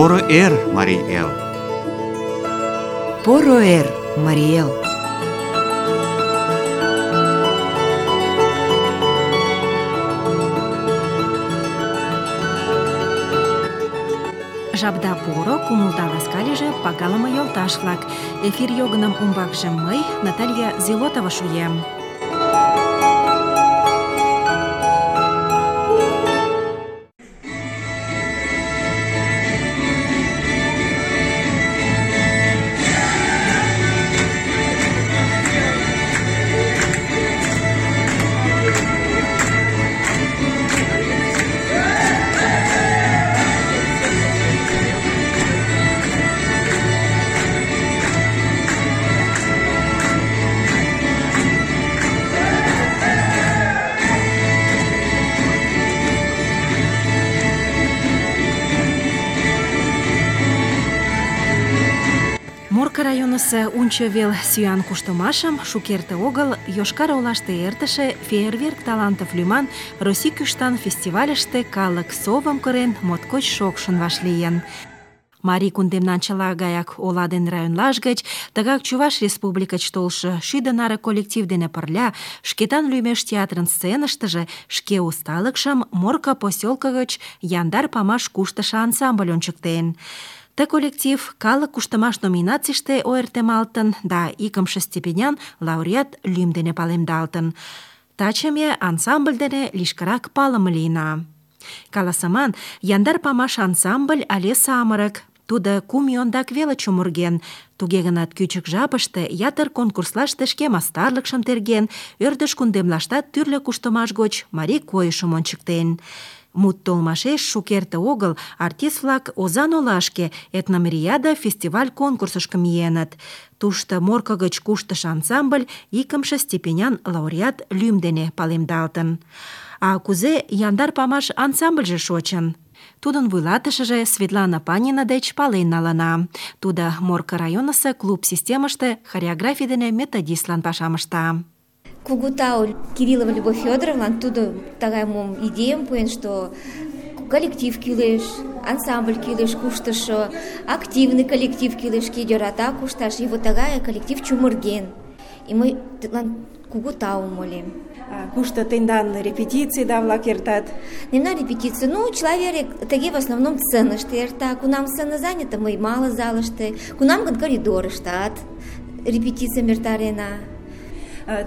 Поро эр, Марий Эл! Поро эр, Марий Эл! Жапда поро, кумылда ласка лийже, пагалыме йолташ-влак. Эфир йогыным умбакше мый, Наталья Зелотова, шуем. Морко районысо Унчо вел сӱан куштымашым шукерте огыл Йошкар-Олаште эртыше «Фейерверк талантов» лӱман Россий кӱштан фестивальыште калык совым кырен моткоч шокшын вашлийын. Марий кундемнан чыла гаяк ола ден районлаш гыч, тыгак Чуваш республикыч толшо 7 наре коллектив дене пырля Шкетан лӱмеш театрын сценыштыже шке усталыкшым Морко посёлко гыч яндар памаш куштышо ансамбль ончыктен. Ты коллектив калык куштымаш номинацийыште ойыртемалтын да икымше степенян лауреат лӱм дене палемдалтын. Таче ме ансамбль дене лишкырак палыме лийна. Каласыман, яндар памаш ансамбль але самырык. Тудо 2 ий ондак веле чумырген. Туге гынат кӱчык жапыште ятыр конкурслаште шке мастарлыкшым терген, ӧрдыж кундемлаштат тӱрлӧ куштымаш гоч марий койышым ончыктен. Мут толмашеш шукерте огыл артист-влак Озаҥ олашке этномириада фестиваль конкурсышко миеныт. Тушто Морко гыч куштышо ансамбль икымше степенян лауреат лӱм дене палемдалтын. А кузе яндар памаш ансамбльже шочын? Тудын вуйлатышыже Светлана Панина деч пален налына. Тудо Морко районысо клуб системыште хореографий дене методистлан пашам ышта. Кугу тау Кириллова Любовь Федоровна, тудо тагай мом идеям пуэн, что коллектив кӱлеш, ансамбль кӱлеш куштышо, активный коллектив кӱлеш, ке йӧрата кушташ, и вот тагай коллектив чумырген. И мый тидлан кугу таум ойлем. Кушто тендан репетиций-влак эртат? Мемнан репетиций, человек тыге в основном сценыште эрта. Кунам сцена занята, мый мало залыште, кунам гын коридорыштат репетицийым эртарена.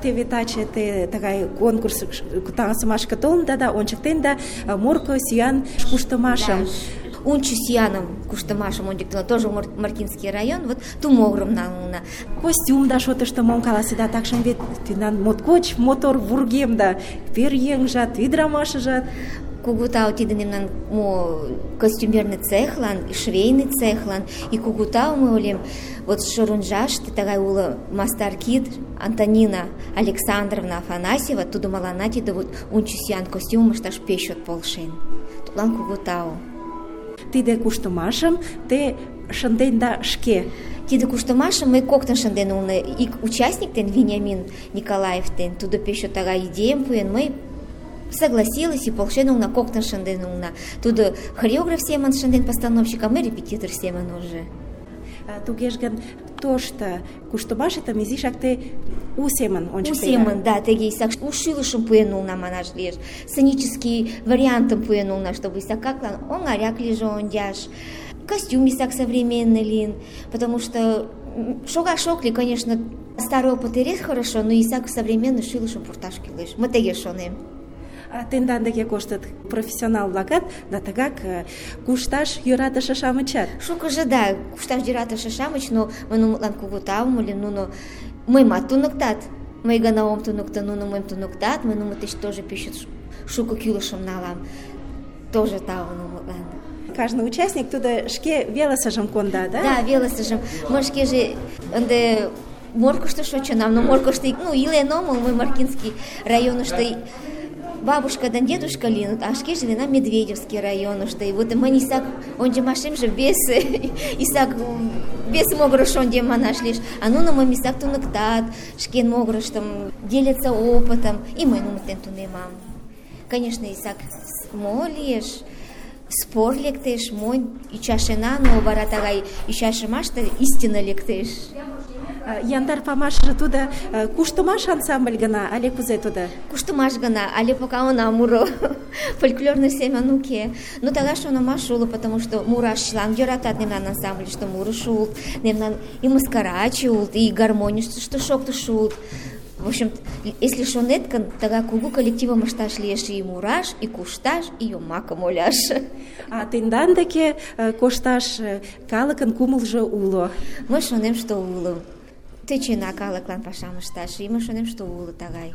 Теве таче те тыгай конкурс таҥасымашке толында да ончыктенда Морко сӱан куштымашым. Унчо сӱаным куштымашым ончыктена, тоже Мартинский район, вот тумогырым налына. Костюм да шотышто мом каласеда, такшым вет тендан моткоч мотор вургемда, пӧръеҥжат, ӱдырамашыжат. Кугу тау тиде мемнан костюмерный цехлан, швейный цехлан, и кугу тау мый ойлем, вот Шорунжаште тыгай уло мастар кид Антонина Александровна Афанасьева, тудо мыланна тиде вот унчо сӱан костюмым ышташ пеш чот полшен. Тудлан кугу тау. Тиде куштымашым те шынденда шке? Тиде куштымашым мый коктын шынден улына. Ик участник ден Вениамин Николаев ден, тудо пеш чот тыгай идеям пуэн, мый согласилась и полшен улна, коктын шынден улна. Тудо хореограф семын шынден постановщик, а мый репетитор семын уже. Тугеж гын, тошто куштымашетым изишак те у семын ончыктеда? У семын, да, теге исак у шӱлышым пуэн улна манаш лиеш. Сценический вариантым пуэн улна, чтобы исакаклан оҥаряк лийже ончаш. Костюм исак современный лийын, потому что шогаш ок лий, конечно, старый опыт эре хорошо, но исак современный шӱлышым пурташ кӱлеш. Мый теге шонем. Тендан деке коштыт профессионал-влакат да тыгак кушташ йӧратыше-шамычат. Шукыжо, да, кушташ йӧратыше-шамыч, но мый нунылан кугу таум ойлем, нуно мыйымат туныктат. Мый гына ом туныкто, нуно мыйым туныктат, мый нуно деч тоже пеш шуко кӱлышым налам. Тоже тау нунылан. Каждый участник тудо шке велосыжым конда, да? Да, велосыжым. Мый шкеже ынде Моркышто шочынам, но Моркышто илен омыл, мый Маркинский районышто бабушка да дедушка лийыныт, а шкеже лийынам Медведевский районышто. И вот мынь исак ончымашемже вес могырыш ончем манаш лиеш. А нуно мыйым исак туныктат, шке могырыштым делятся опытом, и мый нунын дене тунемам. Конечно, исак мо лиеш, спор лектеш, монь ӱчашена, но вара тагай ӱчашымаште истина лектеш. Яндар памашыже тудо куштымаш ансамбль гына, але кузе тудо? Куштымаш гына, але пока она муро. Фольклорный семын уке. Но тагай шонымаш уло, потому что мураш чылан йӧратат мемнан ансамбльыште мурыш улыт, мемнан и мыскараче улыт, и гармонийыште шоктыш улыт. В общем, если шонет гын, тагай кугу коллективым ышташ лиеш и мураш, и кушташ, и йомакым ойлаш. А тендан деке кошташ калыкын кумылжо уло? Мый шонем, что уло. Тӧчена калыклан пашам ышташ, и мый шонем, что уло тагай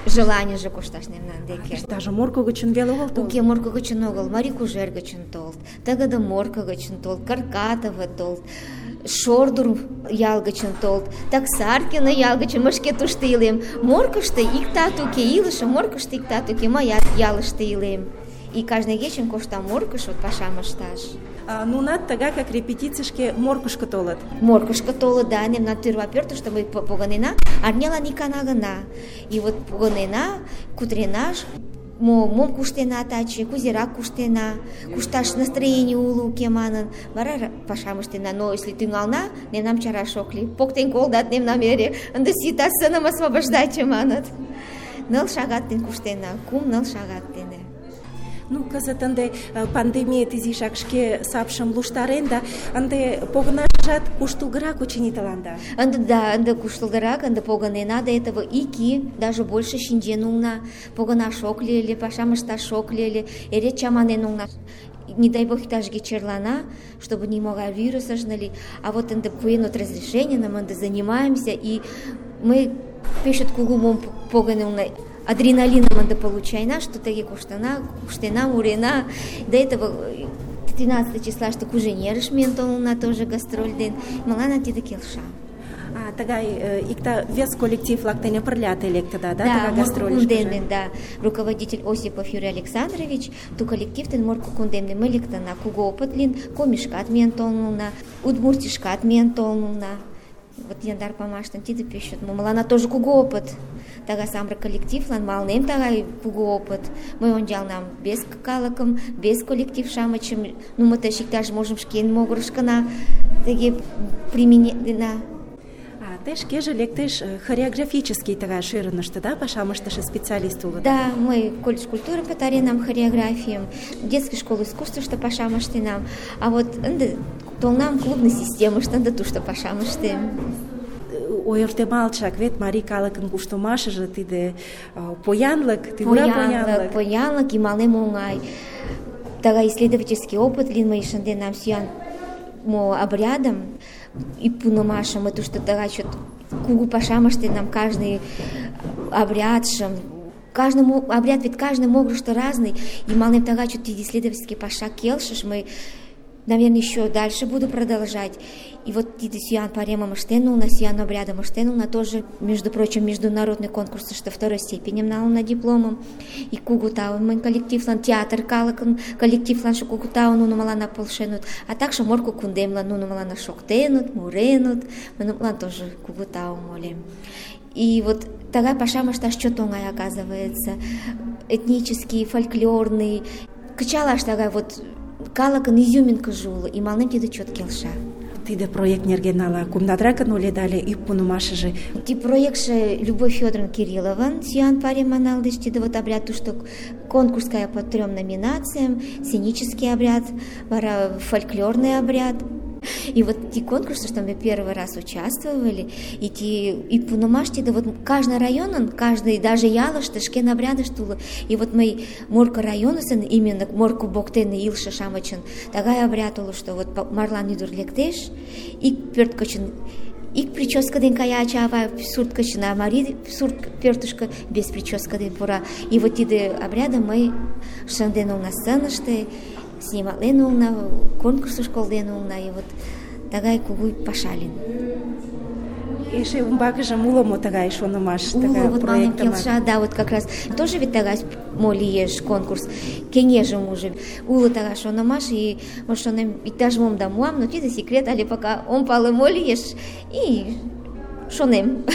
желанийже кошташ мемнан деке. Даже Морко гычын веле огыл толыт? Уке, Морко гычын огыл, Марий Кужер гычын толыт, тыгыде Морко гычын толыт, Каркатово толыт, Шордур ял гычын толыт, Таксаркино ял гычын, мый шке тушто илем. Моркышто иктат уке, илышым Моркышто иктат уке, мыят ялыште илем. И каждый кечын коштам Моркыш вот пашам ышташ. Нунат тыгак как репетицийышке Моркышко толыт? Моркышко толыт, да, мемнан тӱрва пӧртыштӧ мый погынена, арнялан икана гына. И вот погынена, кутырена, мом куштена таче, кузерак куштена, кушташ настроение уло уке манын, вара пашам ыштена. Но если тӱҥална, мемнам чараш ок лий. Поктен колтат мемнам эре, ынде сита сыным освобождаче маныт. 9 шагат дене куштена, 3-4 шагат дене. Ну, кызыт ынде пандемиет изишак шке сапшым луштарен да ынде погынашыжат куштылгырак, очыни, тыланда. Ынде куштылгырак, ынде погынена, до этого ики, даже больше шинчен улна, погынаш ок лий ыле, пашам ышташ ок лий ыле, эре чаманен улна. Не дай бог иктаж-кӧ черлана, чтобы нимогай вирус ыш нали. А вот ынде пуэн от разрешение, нам ынде занимаемся, и мы пешет кугу мом погынылна. Адреналином ынде получайна, что тыге куштена, мурена. До этого 13 числаште Куженерыш миен толына тоже гастроль ден. Мыланна тиде келша. Тыгай икта вес коллектив-влак дене пырля те лектыда, да? Да, Морко Кундемне, да. Руководитель Осипов Юрий Александрович, ту коллектив ден Морко Кундемне мы лектына. Кугу опыт лин, Комишкат миен толына, Удмуртишкат миен толына. Вот яндар памаштын тиде пешет. Мыланна тоже кугу опыт. Тага самрак коллективлан малнем тагай кугу опыт. Мый ончалнам без калыкым, без коллектив-шамычым, ну мы тыш иктаж можым шкен могырышкына тыге применена. Те шкеже лектеш хореографический тыгай шӧрыныштӧ, да, пашам ыштыше специалист улыт? Да, мый колледж культурым пытаренам, хореографийым, детский школ искусствышто пашам ыштенам, а вот ынде толнам клубный системыште, ынде тушто пашам ыштем. Ойыртемалтшак вет марий калыкын куштымашыже тиде поянлык, тӱвыра поянлык. Поянлык, и малем оҥай. Тыгай исследовательский опыт лийын, мый шынденам сӱан обрядым и пунымашым, мый тушто тыгай чот кугу пашам ыштенам, каждый обрядшым. Каждый обряд ведь каждый могырышто разный, и малем тыгай чот тиде исследовательский паша келшыш, мый, наверное, еще дальше буду продолжать. И вот тиде сӱан паремым ыштен улна, сӱан обрядым ыштен улна, тоже, между прочим, международный конкурс, что второй степенем налына дипломым. И кугу таун мый коллективлан, театр калыкын коллективлан кугу таун нуно мыланна полшенут, а также Морко Кундемлан нуно мыланна шоктенут, муренут, мыланна тоже кугу таун олем. И вот тагай пашам ышташ чот оҥай, оказывается, этнический, фольклорный, кычалаш тагай вот калыкын изюминкыже уло, и малнем тиде чот келша. Тиде проект нерген ала кумдатракын ойледале ӱп пунымашыже? Ти проектше Любовь Федоровна Кириллован сӱан пареман налдыш, тиде вот обряд тушто конкурская по 3 номинациям, сценический обряд, вара фольклорный обряд. И вот те конкурсы, что мы первый раз участвовали, и пуномашти, да вот каждый район, каждый, даже ялышты, шкен обряды штула. И вот мы Морко районы, именно Морко Боктен и Илша Шамачын, такая обряд улу, что вот марлан идур лектеш, и пёрткачын, и прическа ден каяча, а сурткачын, а мари сурт пёртушка без прическа ден пора. И вот эти обряды мы шанден на сценыште, снимален улна, конкурсы школден улна, и вот тагай кугуй пашалин. Эше умбакыже уло мо тагай шонымаш, тагай вот проектым? Да, вот как раз тоже ведь тагай мо лиеш конкурс, кеҥежым уже уло тагай шонымаш, и вот шонем, иктаж мом да муам, но тиде секрет, але пока ом пале мо лиеш, и шонем.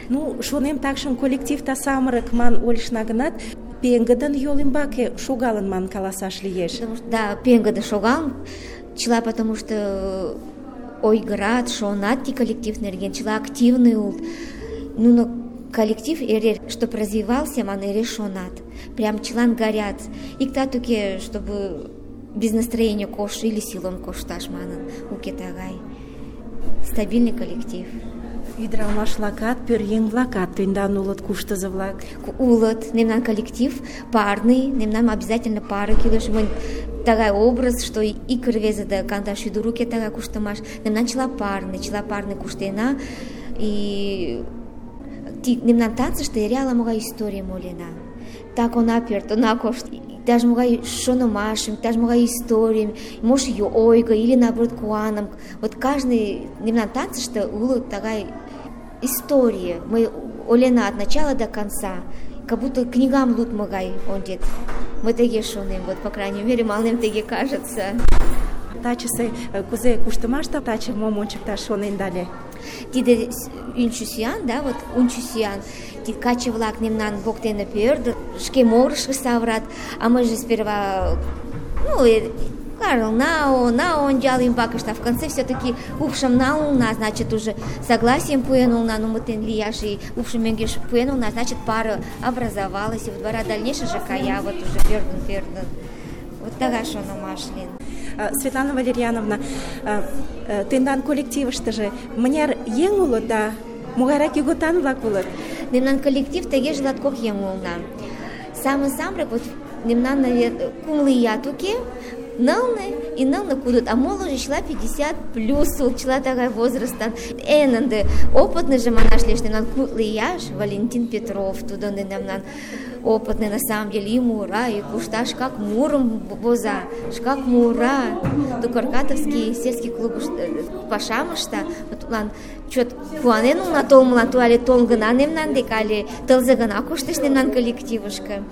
Ну, шонем такшым коллектив та самырык ман ойлышна гынат, пеҥгыдын йол ӱмбаке шогалын манын каласаш лиеш. Да, пеҥгыдын шогалын, чыла потому что ойгырат, шонат ти коллектив нерген, чыла активный улыт. Нуно коллектив эре, чтоб развивался, ман эре шонат. Прям чылан горят. Иктат уке, чтобы без настроения кош или силом кошташ манын, уке тагай. Стабильный коллектив. Ӱдырамаш-влакат, пӧръеҥ-влакат тендан улыт, куштызо-влак. Улыт, мемнан коллектив парный, мемнан обязательно пара кӱлеш. Мынь тагай образ, что ик рвезе да кандаш ӱдыр уке тагай куштымаш. Мемнан чыла парный куштена. И мемнан танцыште эре ала-могай историйым ойлена. Так она пӧрт, она кошт. Иктаж-могай шонымашым, иктаж-могай историйым, может, ойго или, наоборот, куаным. Вот каждый мемнан танцыште уло тагай история. Мы ойлена от начала до конца. Как будто книгам лудмо гай ончет. Мы теге шонем, вот, по крайней мере, мыланем теге кажется. Тачысе кузе куштымаште таче мом ончыкташ шоненда ыле? Тиде ӱнчӧ сӱан, да, вот ӱнчӧ сӱан. Тиде каче-влак мемнан воктене пӧрдыт, шке могырышко савырат, а мыйже сперва, на ончал ӱмбакыште, а в конце все-таки упшым налына, значит, уже согласием пуэн улна, нумытен лияш, и упшым мӧҥгеш пуэн улна, значит, пара образовалась, и вот вара дальнейшее кая, вот уже пӧрдын. Вот тагай шонымаш лийын. Светлана Валерьяновна, тендан коллективыштыже мыняр еҥ улыт да могайрак ийготан-влак улыт? Мемнан коллектив тегеже латкок еҥ улына. Самырык, вот мемнан, наверное, кумло ият уке, нылне кудыт, а молыжо чыла 50 плюс улыт, чыла тагай возрастан. Эн ынде опытныйже манаш лиеш, мемнан кудло ияш Валентин Петров, тудо ынде мемнан опытный, на самом деле, и мура, и кушта, шкак мурым воза, шкак мура. Тукаркатовский сельский клуб пашам ышта. Тудлан чот куанен улна толмылан, ту але толын гына мемнан дек, але тылзе гына коштеш мемнан коллективышке.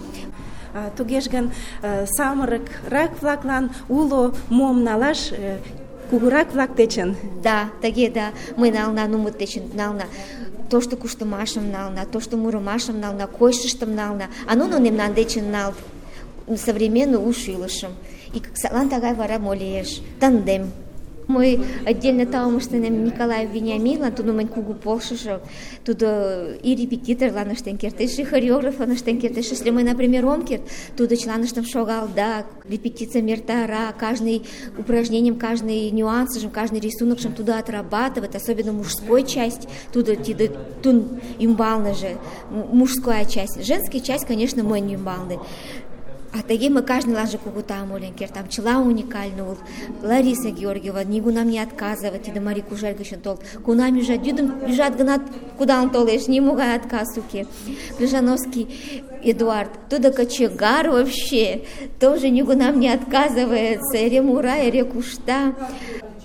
Тугеж гын, самырык-влаклан уло мом налаш кугурак-влак дечын? Да, тыге, да, мый нална, нумыт дечын нална. То, что куштымашым нална, то, что мурымашым нална, койышыштым нална, а нуно мемнан дечын налыт современный уш илышым. И садлан тагай вара мо лиеш? Тандем. Мый отдельно таум ыштенем Николаев Вениаминлан, тудо мынь кугу полшыжо, тудо и репетиторлан ыштен кертеш, и хореографлан ыштен кертеш. Если мый, например, ом керт, тудо чыланыштым шогалда, репетицийым эртара, каждый упражнением, каждый нюансыжым, каждый рисунокшым тудо отрабатывает, особенно мужской часть, тудо тун ӱмбалныже, мужская часть. Женская часть, конечно, мынь ӱмбалне. А теге мы каждыйланже кугу таум ойлен кертам. Чыла уникальный улыт. Лариса Георгиева нигунам не отказывает, тиде Марий Кужер гычын толыт. Кунам ӱжат, йӱдым ӱжат гынат, кудалын толеш, нимогай отказ уке. Крыжановский Эдуард, тудо кочегар вообще, тоже нигунам не отказывается, эре мура, эре кушта.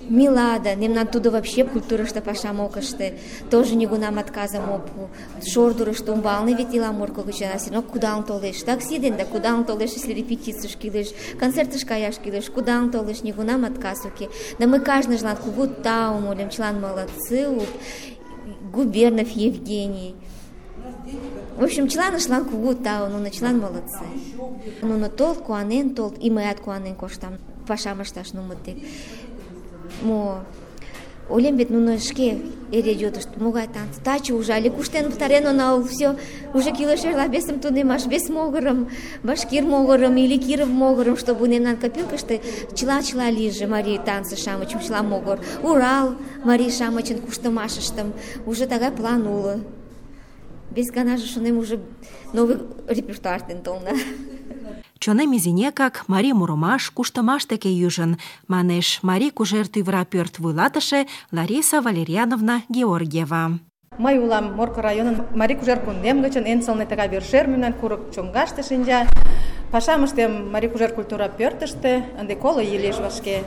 Милада, мемнан тудо вообще культурышто пашам ок ыште, тоже нигунам отказым ок пу. Шордурышто умбалне вет ила Морко гычын, а синок кудалын толеш. Такси ден да кудалын толеш, если репетицийыш кӱлеш, концертыш каяш кӱлеш, кудалын толеш, нигунам отказ уке. Да мы кажныжлан кугу таум ойлем, чылан молодцы улыт. Губернов Евгений. В общем, чыланышлан кугу тау, нуно чылан молодцы. Нуно толыт, куанен толыт, и мыят куанен коштам пашам ышташ нумыт дек. Ойлем вет нуно шке эре йодышт, могай танц, таче уже але куштен пытарен онал, все, уже кӱлеш эрла весым тунемаш, вес могырым, башкир могырым или Киров могырым, чтобы мемнан копилкыште чыла лийже марий танцы-шамычым, чыла могыр. Урал марий-шамычын куштымашыштым, уже тагай план уло. Вес ганаже шонем, уже новый репертуар ден толна. Чонем изинекак марий мурымаш, куштымаш деке ӱжын, манеш Марий Кужер тӱвыра пӧрт вуйлатыше Лариса Валерьяновна Георгиева. Мый улам Морко районын Марий Кужер кундем гычын, эн сылне тыгай вер-шер мемнан курык чоҥгаште шинча. Пашам ыштем Марий Кужер культура пӧртыштӧ, ынде 20 ий лиеш вашке.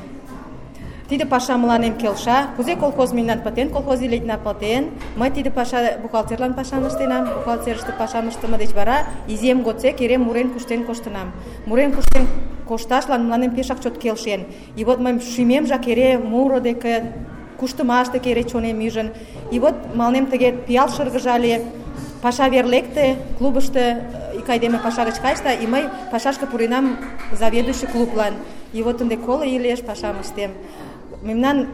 Тиде паша мыланем келша. Кузе колхоз мемнан пытен, колхоз илетна пытен. Мый тиде паша бухгалтерлан пашам ыштенам. Бухгалтерыште пашам ыштыме деч вара изиэм годсек эре мурен куштен коштынам. Мурен куштен кошташлан мыланем пешак чот келшен. И вот мый шӱмемжак эре муро деке, куштымаш деке эре чонем ӱжын. И вот мыланем тыге пиал шыргыжале. Паша вер лекте, клубышто ик айдеме паша гыч кайыш да, и мый пашашке пуренам заведующий клублан. И вот ынде 10 ий лиеш пашам ыштем. Мемнан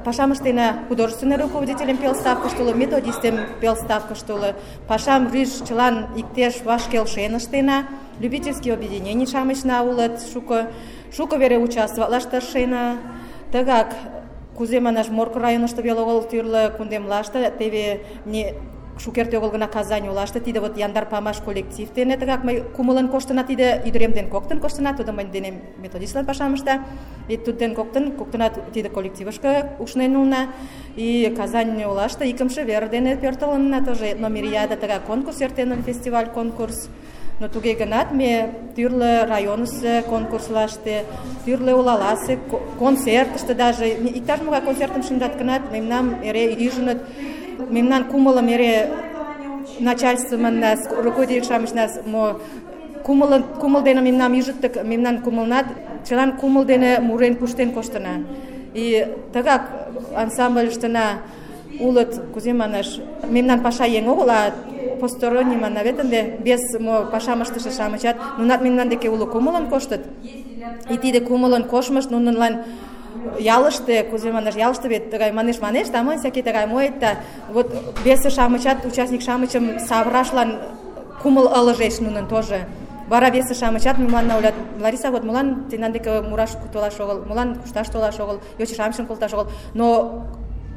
пашам ыштена художественный руководителем пелставкышто уло, методистем пелставкышто уло. Пашам рӱж чылан иктеш ваш келшен ыштена. Любительский объединений-шамычна улыт, шуко вере участвоватлаш тыршена. Тыгак, кузе манаш, Морко районышто веле огыл тӱрлӧ кундемлаште, теве шукерте огыл гына Казань олаште, тиде вот Яндар памаш коллектив дене тыгак мый кумылын коштына, тиде ӱдырем ден коктын коштына, тудо мый денем методистлан пашам ышта, и тудден коктынат тиде коллективышке ушнен улына, и Казань олаште икымше вер дене пӧртылынна, тоже этномириада, тыгак конкурс эртен, фестиваль конкурс. Но туге гынат ме тӱрлӧ районысо конкурслаште, тӱрлӧ олаласе концертыште даже, иктаж-могай концертым шындат гынат, мемнам эре ӱжыныт, мемнан кумылым эре начальство манна, руководитель-шамычна кумыл дене мемнам ӱжыт, так мемнан кумылнат чылан кумыл дене мурен куштен коштына. И тыгак ансамбльыштына улыт, кузе манаш, мемнан паша еҥ огыл, а посторонний манна вет ынде без пашам ыштыше-шамычат нунат мемнан деке уло кумылын коштыт. И тиде кумылын коштмышт нунылан ялыште, кузе манаш, ялыште вет тыгай манеш, таман всякий тыгай моет, да вот весе-шамычат, участник-шамычым савырашлан кумыл ылыжеш нунын тоже. Вара весе-шамычат мемнан ойлат: Лариса, вот молан тендан деке мураш толаш огыл, молан кушташ толаш огыл, йоча-шамычым колташ огыл. Но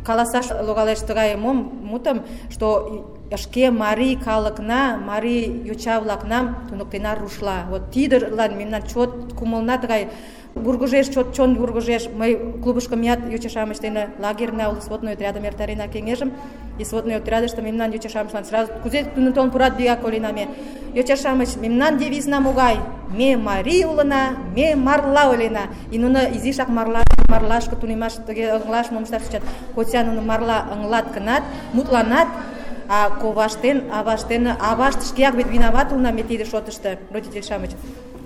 каласаш логалеш тыгай мутым, что шке марий калыкна, марий йоча-влакнам туныктена рушла. Вот тидылан мемнан чот кумылна тыгай вургыжеш, чон вургыжеш. Мый клубышко меат йоча-шамыч дене лагерьна уло, сводной отрядым эртарена кеҥежым. И сводной отрядыште мемнан йоча-шамычлан сразу кузе нуно толын пурат, вигак ойлена ме: йоча-шамыч, мемнан девизна могай? Ме марий улына, ме марла ойлена. И нуно изишак марлашке тунемаш, тыге ыҥлаш мом ышташ тӧчат. Хотя нуно марла ыҥлат гынат, мутланат, а коваштен, авашт шкеак вет виноват улына ме тиде шотышто, родитель-шамыч.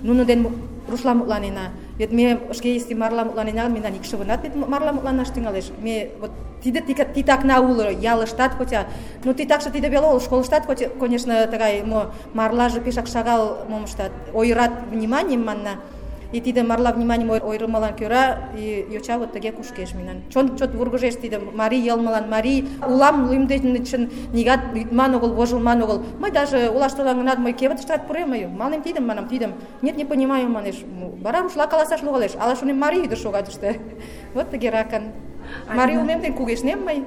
Нуно ден рушла мутланена. Вет ме шке если марла мутланена, мемнан икшывынат вет марла мутланаш тӱҥалеш. Ме вот тиде титакна уло ялыштат, хотя, ну титакше тиде веле огыл, школыштат, конечно, тыгай марлаже пешак шагал мом ыштат, ойырат вниманием манна. И тиде марла вниманием ойырымылан кӧра и йоча вот тыге кушкеш мемнан. Чот вургыжеш тиде марий йылмылан, марий улам лӱмден нигат лӱдман огыл, вожылман огыл. Мый даже олаш толам гынат, мый кевытыштат пурем, манем тидым, манам тидым. Нет, не понимаю, манеш. Вара рушла каласаш логалеш. Ала шонем, марий ӱдыр шога тыште. Вот тыгеракын. Марий улмем дене кугешнем мый.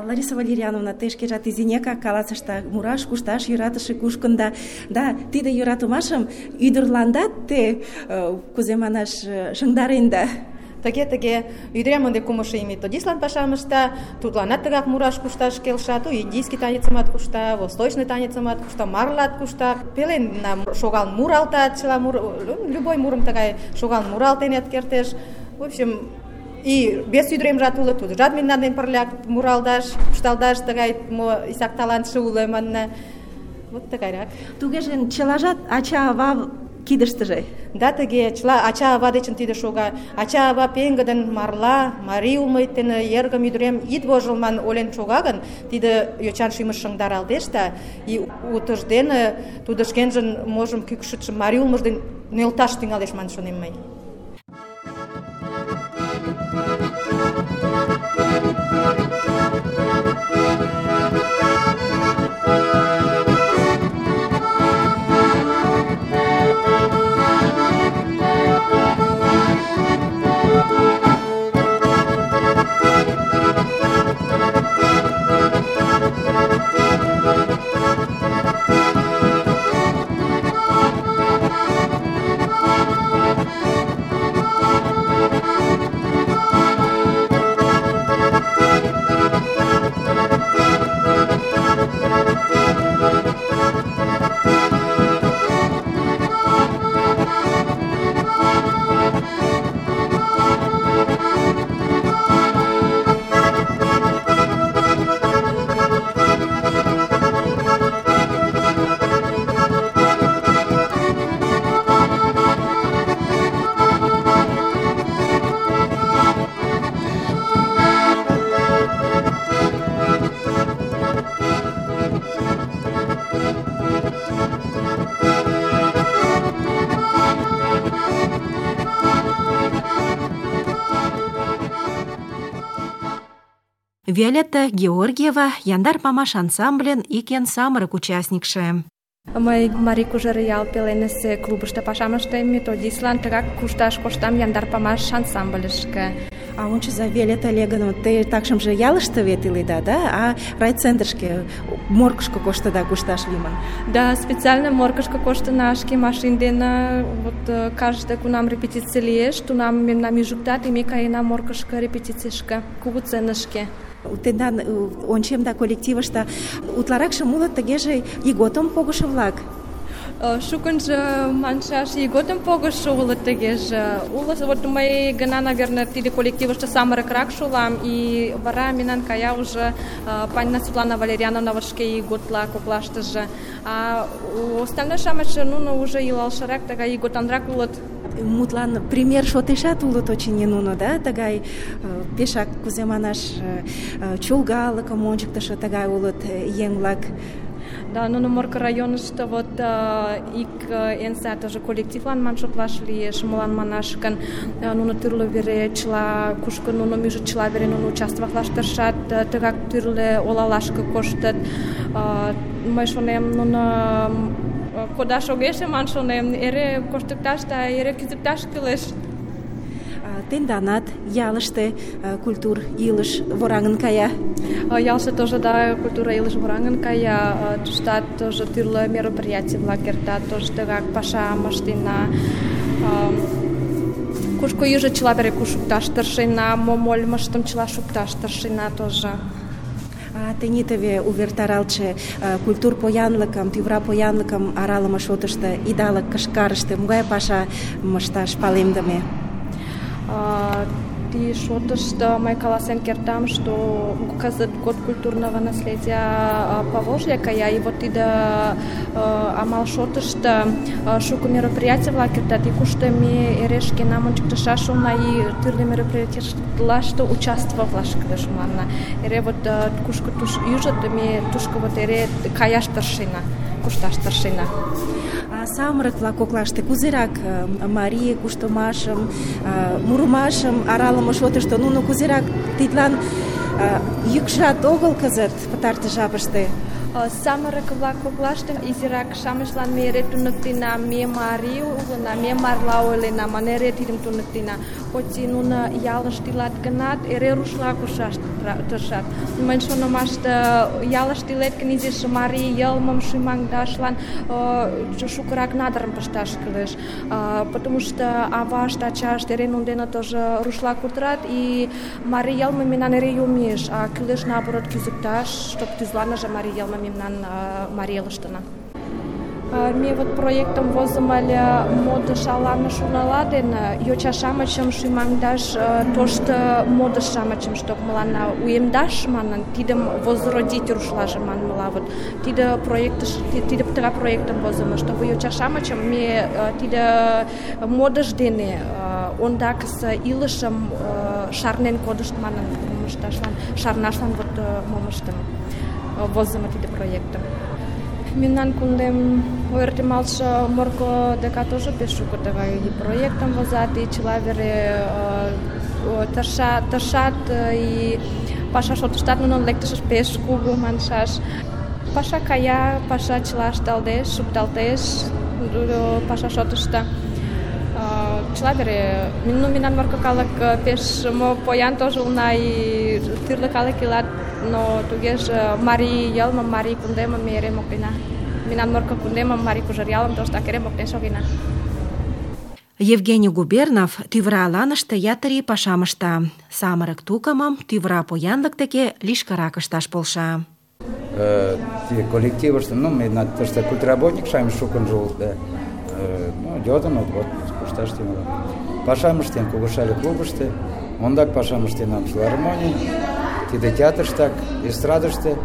Лариса Валерьяновна, те шкежат изинекак каласышда, мураш, кушташ йӧратыше кушкында. Да, тиде йӧратымашым ӱдырландат те, кузе манаш, шыҥдаренда. Тыге, ӱдырем ынде кумшо ий методистлан пашам ышта, тудланат тыгак мураш кушташ келша, то индийский танецымат кушта, восточный танецымат кушта, марлат кушта, пеленна шогал муралтат, чыла любой мурым тыгай шогал муралтенат кертеш. В общем, и без ӱдыремжат уло, тудыжат мемнан дене пырля муралдаш, кушталдаш, тыгай исак талантше уло манна. Вот тыгайрак. Тугеже чылажат ача-ава кидыштыже. Да, тыге, чыла ача-ава дечын тиде шога. Ача-ава пеҥгыдын марла, марий улмет дене эргым, ӱдырем, ит вожыл ман олен шога гын, тиде йочан шӱмыш шыҥдаралтеш да, и утыждене тудо шкенжын можым кӱкшытшым марий улмыж дене нӧлташ тӱҥалеш ман шонем мый. Виолетта Георгиева яндар памаш ансамблен ик эн самырык участникше. Мый Марий Кужер ял пеленысе клубышто пашам ыштем, методистлан тыгак кушташ коштам яндар памаш ансамбльышке. А ончыза, Виолетта Олеговна, те такшымже ялыште вет иледа, да? А райцентрышке, моргышко коштыда кушташ лийман? Да, специально моргышко коштына, шке машин дене, вот каждый кунам репетиций лиеш, тунам мемнам ӱжыктат, и ме каена моргышко репетицийышке, кугу сценышке. Тендан ончем да коллективыште утларакшым улыт тыгеже ийготым погышо-влак. Шукынжо маншаш ийготым погышо улыт тыгеже. Улыт, вот мый гына, наверное, тиде коллективыште самырыкрак шулам, и вара мемнан кая уже Панина Светлана Валерьяновна вот шке ийготла коклаштыже. А остальной-шамычше нуно уже илалшырак, тыгай ийготанрак улыт. Мутлан пример шотешат улыт очыни нуно, да, тыгай пешак кузе манаш чолгалыкым ончыктышо тыгай улыт еҥ-влак. Да, нуно Морко районышто вот ик эн сай тоже коллективлан ман шотлаш лиеш, молан манаш гын нуно тӱрлӧ вере чыла, кушко нуно ӱжыт, чыла вере нуно участвоватлаш тыршат, тыгак тӱрлӧ олалашке коштыт. Мый шонем, нуно кодаш огеш ман шонем, эре коштыкташ да эре кӱзыкташ кӱлеш. Тенданат ялыште культур илыш вораҥын кая. Ялыште тоже, да, культура илыш вораҥын кая. Туштат тоже тӱрлӧ мероприятий-влак эртат, тоже тыгак пашам ыштена. Кушко ӱжыт, чыла вере шукташ тыршена, мом ойлымыштым чыла шукташ тыршена тоже. Тений теве увертаралтше культур поянлыкым, тӱвра поянлыкым аралыме шотышто, идалык кышкарыште могай паша ышташ палемдыме? Ти шотышто мый каласен кертам, что кызыт год культурного наследия Поволжья кая, и вот тиде амал шотышто шуко мероприятий-влак эртат, и кушто ме эре шкенам ончыктышаш улына, и тӱрлӧ мероприятийлаште участвоватлаш кӱлеш мыланна. Эре вот кушко ӱжыт, ме тушко вот эре каяш тыршена, кушташ тыршена. Самырык-влак коклаште кузерак марий куштымашым, мурымашым аралыме шотышто нуно кузерак тидлан йӱкшат огыл кызыт пытартыш жапыште? Самырык-влак коклаште изирак-шамычлан ме эре туныктена, ме марий улына, ме марла ойлена, ман эре тидым туныктена. Хоть нуно ялыште илат гынат, эре рушла кушаш тыршат. Мыйын шонымаште ялыште илет гын, изиш марий йылмым шӱмаҥдашлан шукырак надырым пышташ кӱлеш. Потому что авашт, ачашт эре нунын дене тоже рушла кутырат, и марий йылме мемнан эре йомеш, а кӱлеш наоборот кӱзыкташ, чтоб тӱзланыже марий йылме мемнан марий элыштына. Ме вот проектым возымо ыле модыш аланы журнала дене, йоча-шамычым шӱмаҥдаш, тошто модыш-шамычым, чтоб мыланна уэмдаш манын, тидым возродить рушлаже манмыла. Вот тиде проектыш, тиде тыгай проектым возымо, чтобы йоча-шамычым ме тиде модыш дене ондакысе илышым шарнен кодышт манын, шарнашлан вот мом ыштыме, возымо тиде проектым. Мемнан кундем ойыртемалтше Морко дека тоже пеш шуко тыгай проектым возат, и чыла вере тыршат, и паша шотыштат нунын лектышышт пеш кугу маншаш. Паша кая, паша чыла ышталдеш, шукталтеш паша шотышто. Чыла вере, мемнан Морко калык пеш поян тоже улна, и тӱрлӧ калык илат, но тугеже марий йылмым, марий кундемым ме эре моктена. Мемнан Морко кундемым, Марий Кужер ялым тоштак эре моктен шогена. Евгений Губернов тӱвра аланыште ятыр ий пашам ышта. Самырык тукымым тӱвра поянлык деке лишкырак ышташ полша. Коллективыште, мемнан тыште культработник-шамыч шукынжо улыт, да. Йодын, вот кушташ тӱҥалын. Пашам ыштен Кугышале клубыште, ондак пашам ыштенам филармоний, тиде театрыштак, эстрадыште.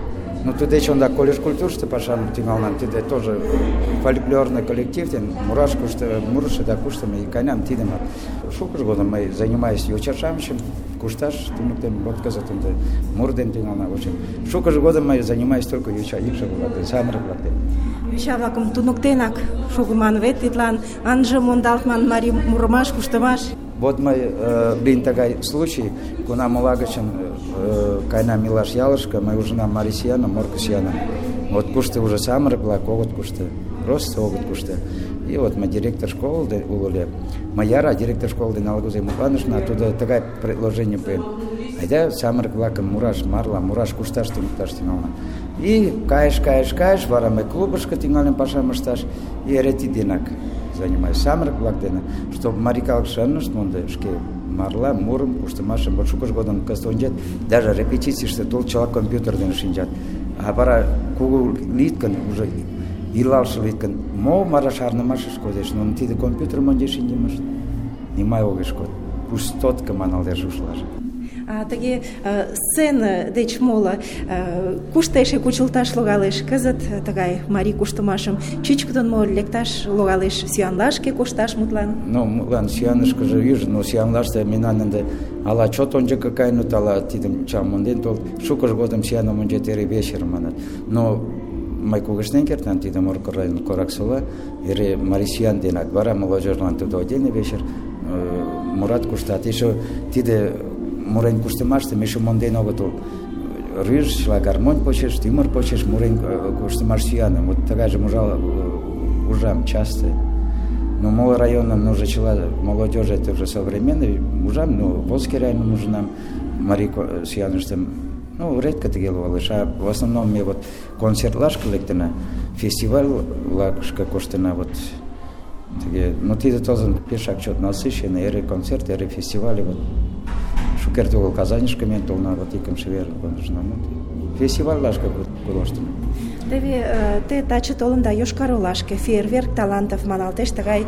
Тудеч ондак колледж культурыште пашам тӱҥалынам, тиде тоже фольклорный коллектив ден мурышо да куштымо иканам тидым. Шукыж годым мый занимаюсь йоча-шамычым кушташ туныктем, вот кызыт ынде мур дене тӱҥалынам. В общем, шукыж годым мый занимаюсь только йоча икшыве-влак ден самырык-влак дене. Йоча-влакым туныктенак шогыман вет, тидлан ынже мондалт ман марий мурымаш, куштымаш. Вот мый лийын тыгай случай, кунам ола гычын кайнам илаш ялышке, мый ужынам марий сӱаным, Морко сӱаным. Вот кушто уже самырык-влак огыт кушто, просто огыт кушто. И вот мый директор школы уло ыле. Мый яра директор школы дене ала-кузе мутланышна, тудо тыгай предложение пуэн. Айда самырык-влакым мураш, марла, мураш кушташ туныкташ тӱҥална. И кайыш, вара мый клубышко тӱҥальым пашам ышташ, и эре тиденак занимаюсь самырык-влак дене, чтобы марий калыкше ынышт мондо шке марла, мурым, куштымашым, вот шукыж годым кызыт ончет, даже репетицийыште тул чыла компьютер дене шинчат. А вара кугу лийыт гын, уже илалше лийыт гын, мо вара шарнымашыш кодеш, нуно тиде компьютерым ончен шинчымышт нимай огеш код. Пустотка маналеш ушлаже. Тыге сцена деч моло кушто эше кучылташ логалеш? Кызыт тыгай марий куштымашым чӱчкыдын мо лекташ логалеш? Сӱанлашке кошташ мутлан? Ну, мутлан сӱанышкыже ӱжӧ, но сӱанлаште мемнан ынде ала чот ончыко каеныт, ала тидым чам монден толыт. Шукыж годым сӱаным ончет эре вечерым манат. Но мый кугешнен кертам, тиде Морко район Кораксола, эре марий сӱан денак. Вара молодежьлан тудо отдельный вечер мурат куштат. Еще тиде мурен куштымаштым эше монден огытыл. Рыж, чыла гармонь почеш, тӱмыр почеш мурен куштымаш сӱаным. Вот тыгайжым ужам часто. Но моло районам уже чыла молодежь это уже современный ужам, но Волжский районым ужынам марий сӱаныштым. Ну, редко тыге логалеш, а в основном ме вот концертлашке лектына, фестивальлашке коштына вот тыге. Ну, тиде тозын пешак чот насыщенный, эре концерт, эре фестиваль вот. Шукерте огыл Казаньышке мен толна, вот икымше вер кондышна. Фестивальлашке коштына. Теве те таче толында Йошкар-Олашке, фейерверк талантов маналтеш, тыгай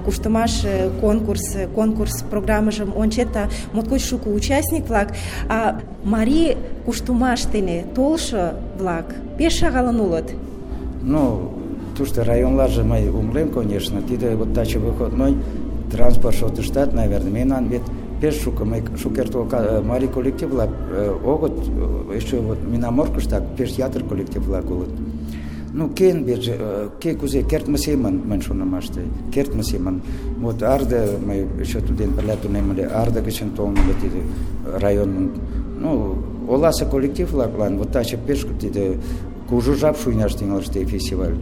куштымаш конкурс программыжым ончет, моткоч шуко участник-влак, а марий куштымаш дене толшо-влак пеш шагалын улыт. Ну, тушто районларже мый умылем, конечно, тиде вот таче выходной транспорт шотыштат, наверное, мемнан вет пеш шуко, мый шукерте марий коллектив-влак огыт, еще вот мемнан Моркыштак пеш ятыр коллектив-влак улыт. Ну, кен беже, ке кузе кертме семын, мын шонымаште, кертме семын. Вот арда, мый еще туден пырля тунем ыле, арда гычын толын ыле тиде районын. Ну, оласе коллектив-влаклан вот таче пеш тиде кужу жап шуйнаш тӱҥалеш тиде фестиваль.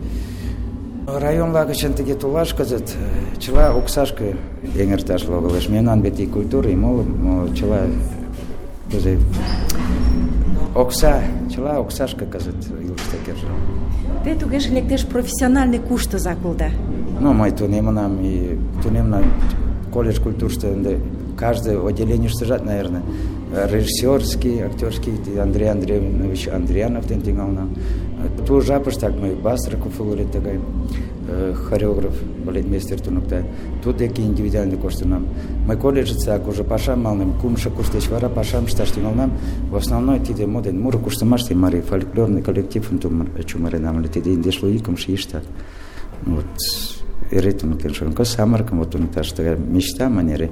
Районла гычын тыге толаш кызыт чыла оксашке эҥерташ логалеш. Мемнан вет и культура, и моло чыла кузе окса, чыла оксашке кызыт илыште кержа. Те тугеже лектеш профессиональный куштызак улыда. Ну, мый тунемынам и тунемнам колледж культурышто ынде каждый отделениештыжат, наверное, режиссерский, актерский Андрей Андреевич Андрианов ден тӱҥалынам. Ту жапыштак мый Бастрыков уло тыгай хореограф, балетмейстер туныкта. Тудын деке индивидуально коштынам. Мый колледжыцак уже пашам налнем, кумшо курс деч вара пашам ышташ тӱҥалынам. В основной тиде моден муро куштымаште марий фольклорный коллективым чумыренам ыле. Тиде индешлу икымше ийыштак. Вот эре туныктен шонкос самырыкым вот туныкташ тыгай мечта манере.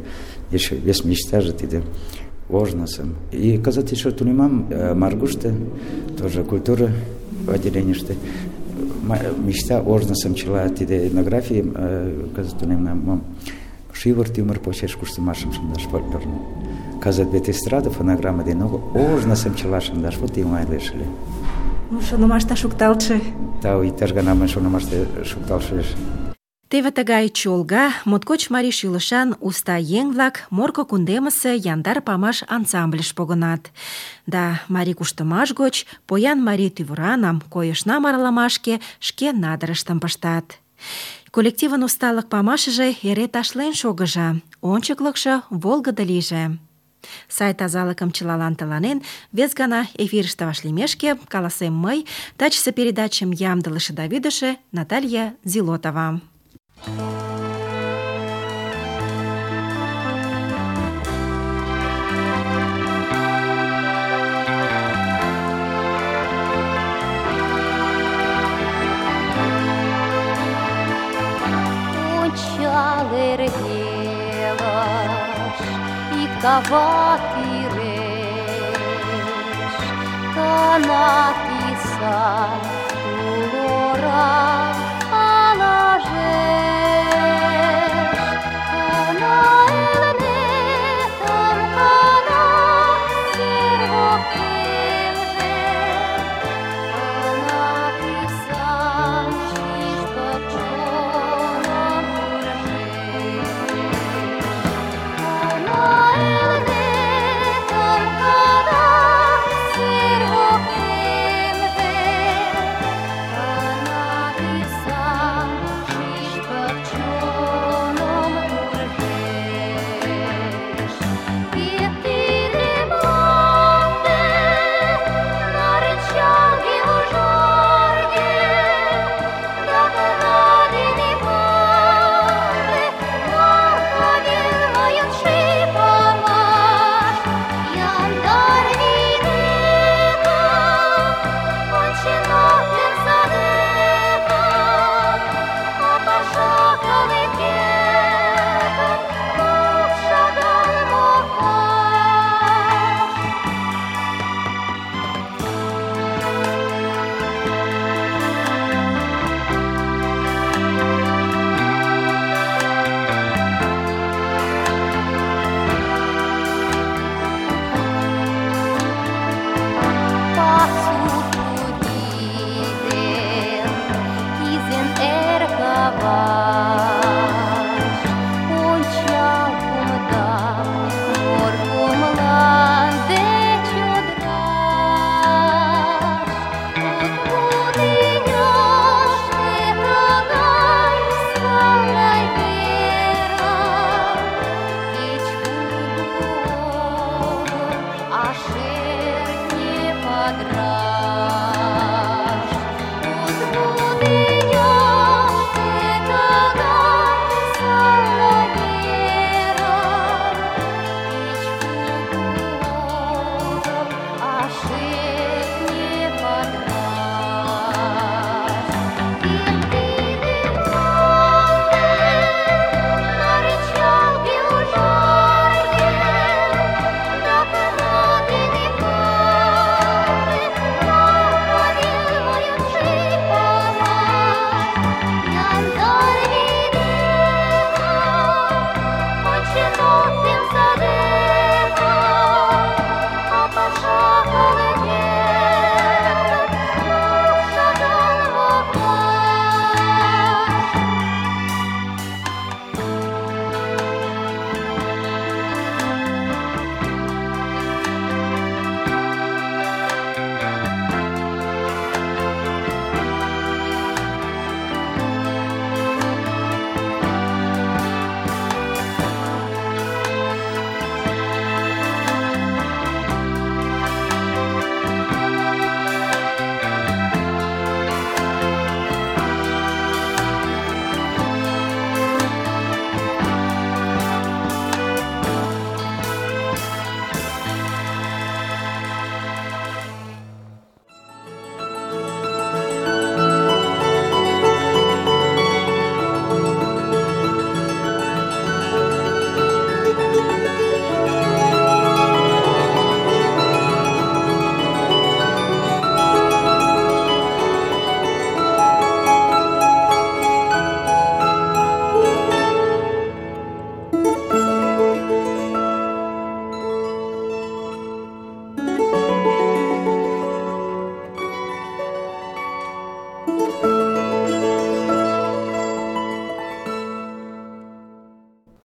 Еще вес мечта же тиде ожнысым. И кызыт еще тунемам Маргуште, тоже культура отделениеште. Мечта ожнысым чыла тиде этнографиям кызыт тунемам. Шивыр тӱмыр почеш куштымашым шындаш фольклорный. Кызыт вет эстрада фонограмма дене ожнысым чыла шындаш вот тӱҥалеш ыле. Ну, шонымашта шукталтше. Тау, иктаж гана мый шонымаште шукталтшеш. Теве тыгай чолга, моткоч марий шӱлышан уста еҥ-влак Морко кундемысе яндар памаш ансамбльыш погынат. Да марий куштымаш гоч поян марий тӱвыранам, койышнам аралымашке шке надырыштым пыштат. Коллективын усталык памашыже эре ташлен шогыжа, ончыклыкшо волгыдо лийже. Сай тазалыкым чылалан тыланен, вес гана эфирыште вашлиймешке каласем мый, тачысе передачым ямдылыше да вӱдышӧ Наталья Зилотова. Ончал эрвелыш, иктава тӱреш, канат иса тулора алажеш, кана элне Thank you.